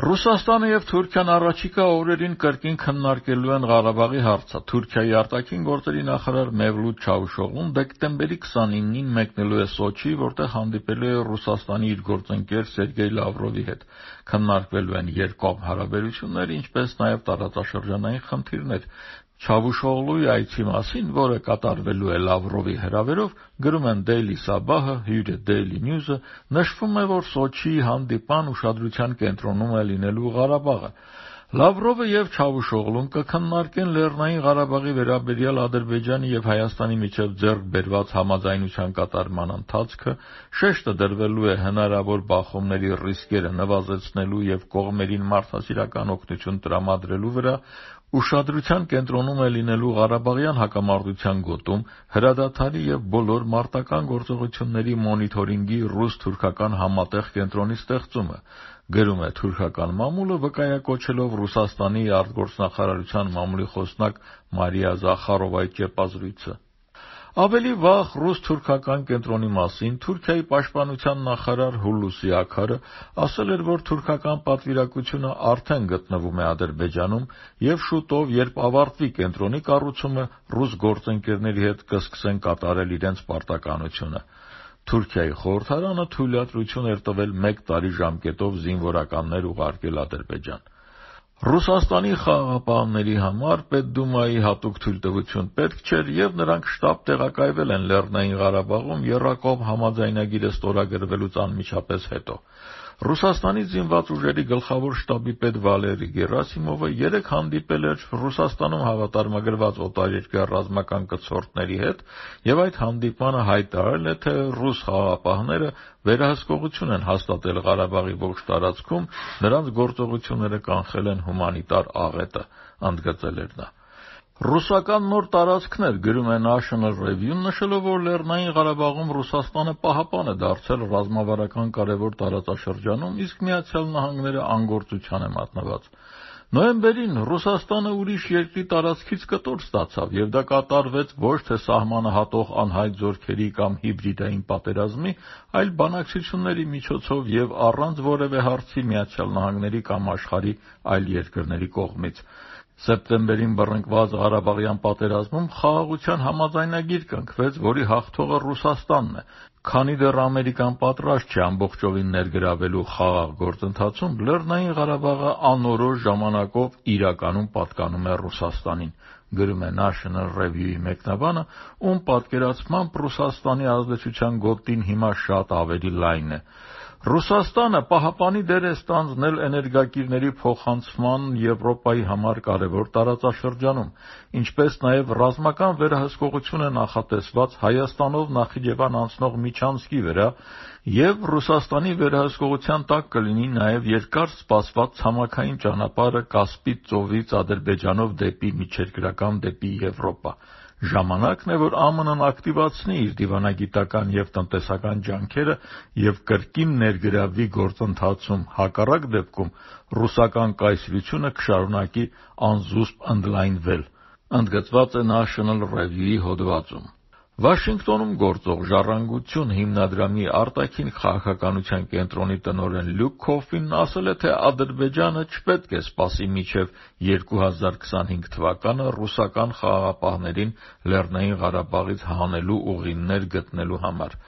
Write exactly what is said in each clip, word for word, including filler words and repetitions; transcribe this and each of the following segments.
Ռուսաստանը եւ Թուրքիան առաջիկա օրերին կրկին քննարկելու են Ղարաբաղի հարցը։ Թուրքիայի արտաքին գործերի նախարար Մևլութ Չավուշօղլուն դեկտեմբերի քսանինին մեկնելու է Սոչի, որտեղ հանդիպելու է Ռուսաստանի իր գործընկեր Սերգեյ Լավրովի հետ։ Քննարկվելու են երկկողմ հարաբերություններ, ինչպես նաեւ տարածաշրջանային խնդիրներ։ Չավուշօղլուի այցի մասին, որը կատարվելու է Լավրովի հրավերով, գրում են Daily Sabah-ը, հյուրը Daily News-ը, նշվում է, որ Սոչիի հանդիպան ուշադրության կենտրոնում է լինելու Ղարաբաղը։ Լավրովը եւ Չավուշօղլուն կքննարկեն Լեռնային Ղարաբաղի վերաբերյալ Ադրբեջանի եւ Հայաստանի միջեւ ձեռք բերված համաձայնության կատարման ընթացքը, շեշտը դրվելու է հնարավոր բախումների ռիսկերը նվազեցնելու եւ կողմերին մարդասիրական օգնություն տրամադրելու վրա, ուշադրության կենտրոնում է լինելու Ղարաբաղյան հակամարտության գոտում, հրադադարի եւ բոլոր մարտական գործողությունների մոնիթորինգի ռուս-թուրքական համատեղ կենտրոնի ստեղծումը, գրում է թուրքական մամուլը, վկայակոչելով Ռուսաստանի արտգործնախարարության մամուլի խոսնակ Մարիա Զախարովայի ճեպազրույցը։ Ավելի վաղ ռուս-թուրքական կենտրոնի մասին Թուրքիայի պաշտպանության նախարար Հուլուսի Աքարը ասել էր, որ թուրքական պատվիրակությունը արդեն գտնվում է Ադրբեջանում եւ շուտով, երբ ավարտվի կենտրոնի կառուցումը, ռուս գործընկերների հետ կսկսեն կատարել իրենց պարտականությունը։ Թուրքիայի խորհրդարանը թույլատրություն էր տվել մեկ տարի ժամկետով զինվորականներ ուղարկել Ադրբեջան։ Ռուսաստանի խաղաղապահների համար Պետդումայի հատուկ թույլտվություն պետք չէր եւ նրանք շտապ տեղակայվել են Լեռնային Ղարաբաղում եռակողմ համաձայնագիրը ստորագրվելուց անմիջապես հետո։ Ռուսաստանի զինված ուժերի գլխավոր շտաբի պետ Վալերի Գերասիմովը երեկ հանդիպել էր Ռուսաստանում հավատարմագրված օտարերկրյա ռազմական կցորդների հետ եւ այդ հանդիպանը հայտարարել է, թե ռուս խաղաղապահները վերահսկողություն են հաստատել Ղարաբաղի ողջ տարածքում, նրանց գործողությունները կանխել են հումանիտար աղետը, ընդգծել էր նա։ Ռուսական նոր տարածքներ, գրում է National Review-ն, նշելով, որ Լեռնային Ղարաբաղում Ռուսաստանը պահապան է դարձել ռազմավարական կարևոր տարածաշրջանում, իսկ Միացյալ Նահանգները անգործության է մատնված։ Նոյեմբերին Ռուսաստանը ուրիշ երկրի տարածքից կտոր ստացավ, եւ դա կատարվեց ոչ թե սահմանը հատող անհայտ զորքերի կամ հիբրիդային պատերազմի, այլ բանակցությունների միջոցով եւ առանց որևէ հարցի Միացյալ Նահանգների կամ աշխարհի այլ երկրների կողմից։ Սեպտեմբերին բռնկված Ղարաբաղյան պատերազմում խաղաղության համաձայնագիր կնքվեց, որի հաղթողը Ռուսաստանն է։ Քանի դեռ Ամերիկան պատրաստ չէ ամբողջովին ներգրավելու խաղաղ գործընթացում, Լեռնային Ղարաբաղը անորոշ ժամանակով իրականում պատկանում է Ռուսաստանին, գրում է National Review-ի մեկնաբանը, ում պատկերացմամբ Ռուսաստանի ազդեցության գոտին հիմա շատ ավելի լայն է։ Ռուսաստանը պահապանի դեր է ստանձնել էներգակիրների փոխանցման Եվրոպայի համար կարևոր տարածաշրջանում, ինչպես նաև ռազմական վերահսկողություն է նախատեսված Հայաստանով Նախիջևան անցնող միջանցքի վրա, եւ Ռուսաստանի վերահսկողության տակ կլինի նաև երկար սպասված ցամաքային ճանապարհը Կասպից ծովից Ադրբեջանով դեպի միջերկրական դեպի Եվրոպա։ Ժամանակն է, որ ԱՄՆ-ն ակտիվացնի իր դիվանագիտական եւ տնտեսական ջանքերը եւ կրկին ներգրավվի գործընթացում, հակառակ դեպքում ռուսական կայսրությունը կշարունակի անզուսպ ընդլայնվել, ընդգծված է National Review-ի հոդվածում։ Վաշինգտոնում գործող «Ժառանգություն» հիմնադրամի արտաքին քաղաքականության կենտրոնի տնօրեն Լյուկ Քոֆին ասել է, թե Ադրբեջանը չպետք է սպասի մինչև երկու հազար քսանհինգ թվականը ռուսական խաղաղապահներին Լեռնային Ղարաբաղից հանելու ուղիներ գտնելու համար։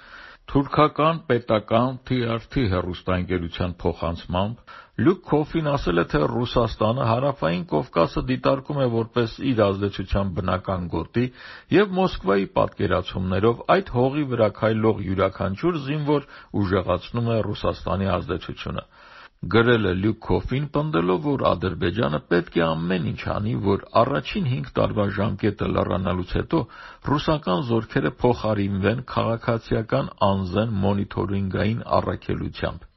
Թուրքական պետական T R T հեռուստաընկերության փոխանցմամբ Լյուկ Քոֆին ասել է, թե Ռուսաստանը Հարավային Կովկասը դիտարկում է որպես իր ազդեցության բնական գոտի եւ Մոսկվայի պատկերացումներով այդ հողի վրա քայլող յուրաքանչյուր զինվոր ուժեղացնում է Ռուսաստանի ազդեցությունը։ Գրել է Լյուկ Քոֆին, պնդելով, որ Ադրբեջանը պետք է ամեն ինչ անի, որ առաջին հինգ տարվա ժամկետը լռանալուց հետո ռուսական զորքերը փոխարինվեն քաղաքացիական անզեն մոնիթորինգային առաքելությամբ։